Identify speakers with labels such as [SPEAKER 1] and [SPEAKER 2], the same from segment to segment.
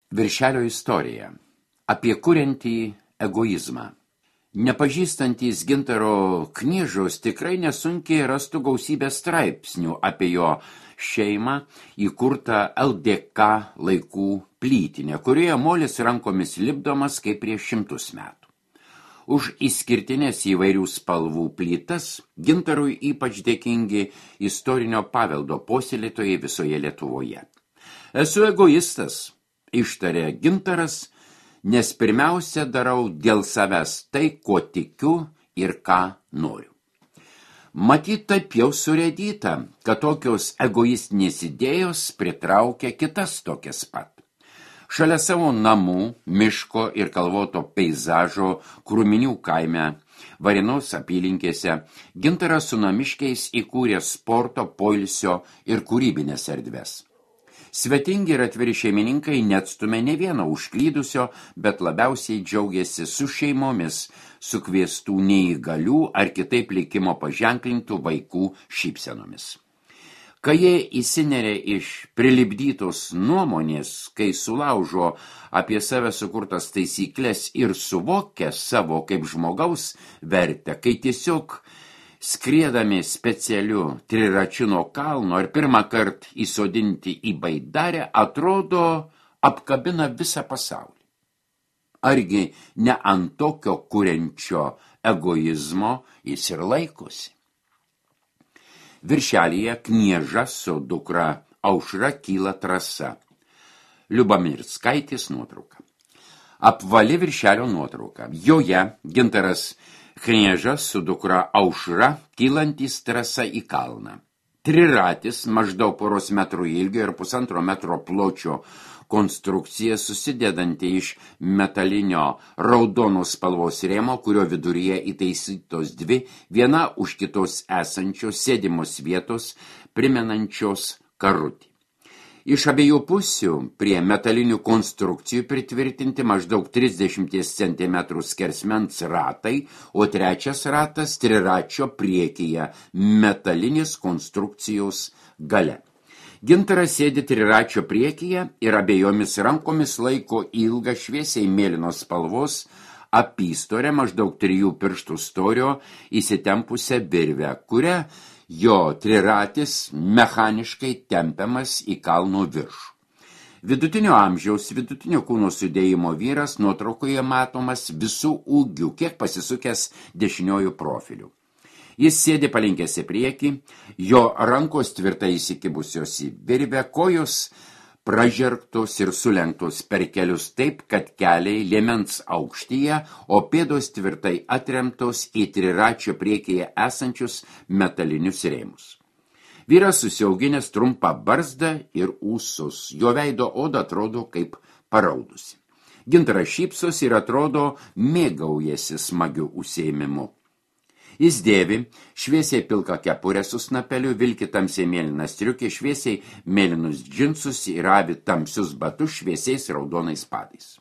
[SPEAKER 1] Viršelio istorija. Apie kuriantį egoizmą. Nepažįstantys Gintaro Kniežos tikrai nesunkiai rastų gausybę straipsnių apie jo šeimą įkurtą LDK laikų plytinę, kurioje molis rankomis lipdomas kaip prieš 100 metų. Už išskirtinės įvairių spalvų plytas Gintarui ypač dėkingi istorinio paveldo puoselėtojai visoje Lietuvoje. Esu egoistas, ištarė Gintaras, nes pirmiausia darau dėl savęs tai, ko tikiu ir ką noriu. Matyt, taip jau surėdyta, kad tokios egoistinės idėjos pritraukia kitas tokias pat. Šalia savo namų, miško ir kalvoto peizažo Krūminių kaime, Varėnos apylinkėse, Gintaras su namiškiais įkūrė sporto, poilsio ir kūrybinės erdves. Svetingi ir atviri šeimininkai neatstumė ne vieno užklydusio, bet labiausiai džiaugiasi su šeimomis, sukviestų neįgalių ar kitaip likimo paženklintų vaikų šypsenomis. Kai jie įsineria iš prilipdytos nuomonės, kai sulaužo apie save sukurtas taisyklės ir suvokia savo kaip žmogaus vertę, kai tiesiog skriedami specialiu triračiu nuo kalno ir pirmą kartą įsodinti į baidarę, atrodo apkabina visą pasaulį. Argi ne ant tokio kuriančio egoizmo jis ir laikosi? Viršelyje Knieža su dukra Aušra kyla trasa. Liubamirskaitės nuotrauka. Apvali viršelio nuotrauka. Joje Gintaras Kniežas su dukra Aušra kylantys trasa į kalną. Triratis maždaug 1 metrų ilgio ir 1,5 metro pločio konstrukcija susidedanti iš metalinio raudonos spalvos rėmo, kurio viduryje įtaisytos dvi, viena už kitos esančios sėdimos vietos, primenančios karutį. Iš abiejų pusių prie metalinių konstrukcijų pritvirtinti maždaug 30 cm skersmens ratai, o trečias ratas triračio priekyje metalinės konstrukcijos gale. Gintaras sėdi triračio priekyje ir abiejomis rankomis laiko ilgą šviesiai mėlynos spalvos apystorę maždaug 3 pirštų storio įsitempusią virvę, kurią jo triratis mechaniškai tempiamas į kalno viršų. Vidutinio amžiaus, vidutinio kūno sudėjimo vyras nuotraukoje matomas visų ūgių, kiek pasisukęs dešiniojų profilių. Jis sėdi palinkęs į priekį, jo rankos tvirtai įsikibusios į virvę, kojos pražergtos ir sulenktos per kelius taip, kad keliai liemens aukštyje, o pėdos tvirtai atremtos į triračio priekyje esančius metalinius rėmus. Vyras susiauginęs trumpą barzdą ir ūsus, jo veido oda atrodo kaip paraudusi. Gintaras šypsosi ir atrodo mėgaujasi smagiu užsiėmimu. Jis dėvi šviesiai pilką kepurę su snapeliu, vilki tamsiai mėlyną striukę, šviesiai mėlynus džinsus ir avi tamsius batus šviesiais raudonais padais.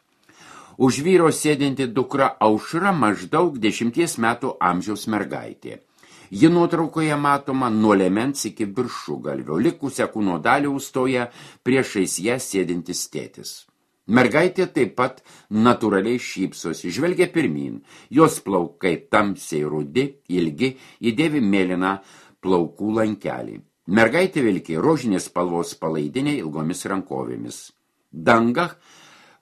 [SPEAKER 1] Už vyro sėdinti dukra Aušra maždaug 10 metų amžiaus mergaitė. Ji nuotraukoje matoma nuo liemens iki viršugalvio, likusią kūno dalį užstoja priešais ją sėdintis tėtis. Mergaitė taip pat natūraliai šypsosi, žvelgia pirmyn, jos plaukai tamsiai rudi, ilgi, įdėvi mėlyną plaukų lankelį. Mergaitė vilki rožinės spalvos palaidinė ilgomis rankovėmis. Danga,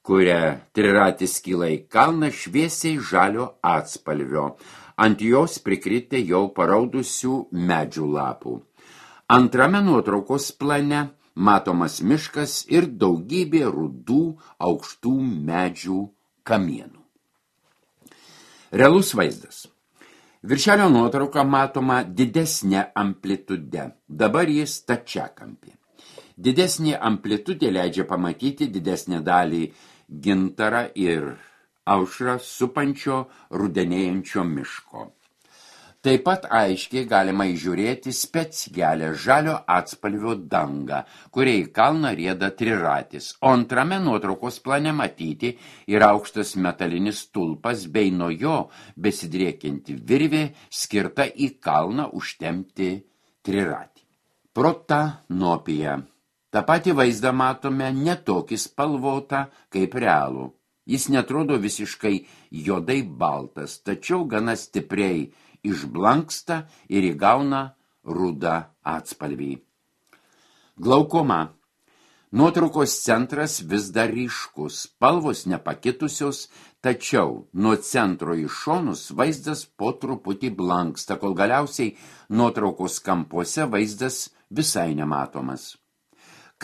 [SPEAKER 1] kuria triratis kyla į kalną, šviesiai žalio atspalvio. Ant jos prikritę jau paraudusių medžių lapų. Antrame nuotraukos plane matomas miškas ir daugybė rudų aukštų medžių kamienų. Realus vaizdas. Viršelio nuotrauka matoma didesnė amplitude, dabar jis stačiakampė. Didesnė amplitudė leidžia pamatyti didesnę dalį Gintarą ir Aušrą supančio rudenėjančio miško. Taip pat aiškiai galima įžiūrėti specialią žalio atspalvio dangą, kuria į kalną rieda triratis, o antrame nuotraukos plane matyti ir aukštas metalinis stulpas bei nuo jo besidriekianti virvė skirta į kalną užtempti triratį. Protanopija. Ta patį vaizdą matome netokį spalvotą kaip realų. Jis netrodo visiškai juodai baltas, tačiau gana stipriai išblanksta ir įgauna rudą atspalvį. Glaukoma. Nuotraukos centras vis dar ryškus, spalvos nepakitusios, tačiau nuo centro į šonus vaizdas po truputį blanksta, kol galiausiai nuotraukos kampuose vaizdas visai nematomas.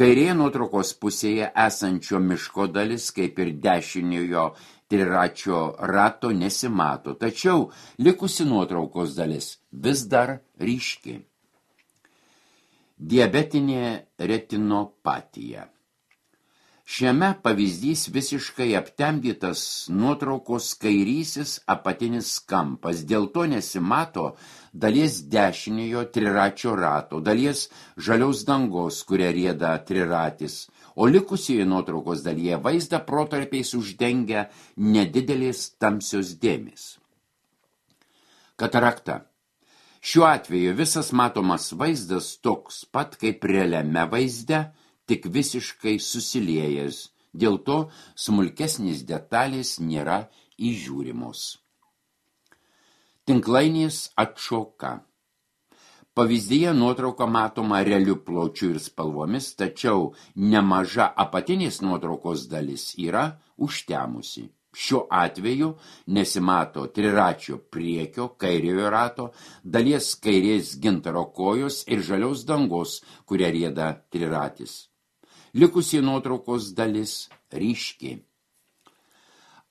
[SPEAKER 1] Kairėje nuotraukos pusėje esančio miško dalis, kaip ir dešiniojo triračio rato, nesimato, tačiau likusi nuotraukos dalis vis dar ryški. Diabetinė retinopatija. Šiame pavyzdys visiškai aptemdytas nuotraukos kairysis apatinis kampas, dėl to nesimato dalies dešiniojo triračio rato, dalies žaliaus dangos, kuria rieda triratis, o likusioje nuotraukos dalyje vaizdą protarpiais uždengia nedidelės tamsios dėmės. Katarakta. Šiuo atveju visas matomas vaizdas toks pat kaip realiame vaizde, tik visiškai susiliejęs, dėl to smulkesnės detalės nėra įžiūrimos. Tinklainės atšoka. Pavyzdyje nuotrauka matoma realiu pločiu ir spalvomis, tačiau nemaža apatinės nuotraukos dalis yra užtemusi. Šiuo atveju nesimato triračio priekio, kairiojo rato, dalies kairės gintaro kojos ir žaliaus dangos, kuria rieda triratis. Likusi nuotraukos dalis ryški.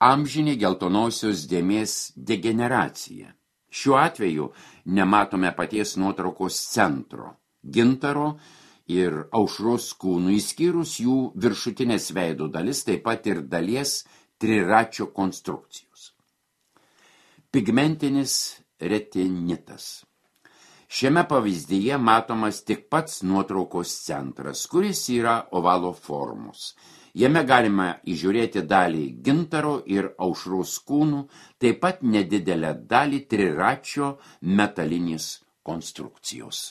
[SPEAKER 1] Amžinė geltonosios dėmės degeneracija. Šiuo atveju nematome paties nuotraukos centro, gintaro ir aušros kūnų, išskyrus jų viršutinės veido dalis, taip pat ir dalies triračio konstrukcijos. Pigmentinis retinitas. Šiame pavyzdyje matomas tik pats nuotraukos centras, kuris yra ovalo formos. Jame galima įžiūrėti dalį gintaro ir aušros kūnų, taip pat nedidelę dalį triračio metalinės konstrukcijos.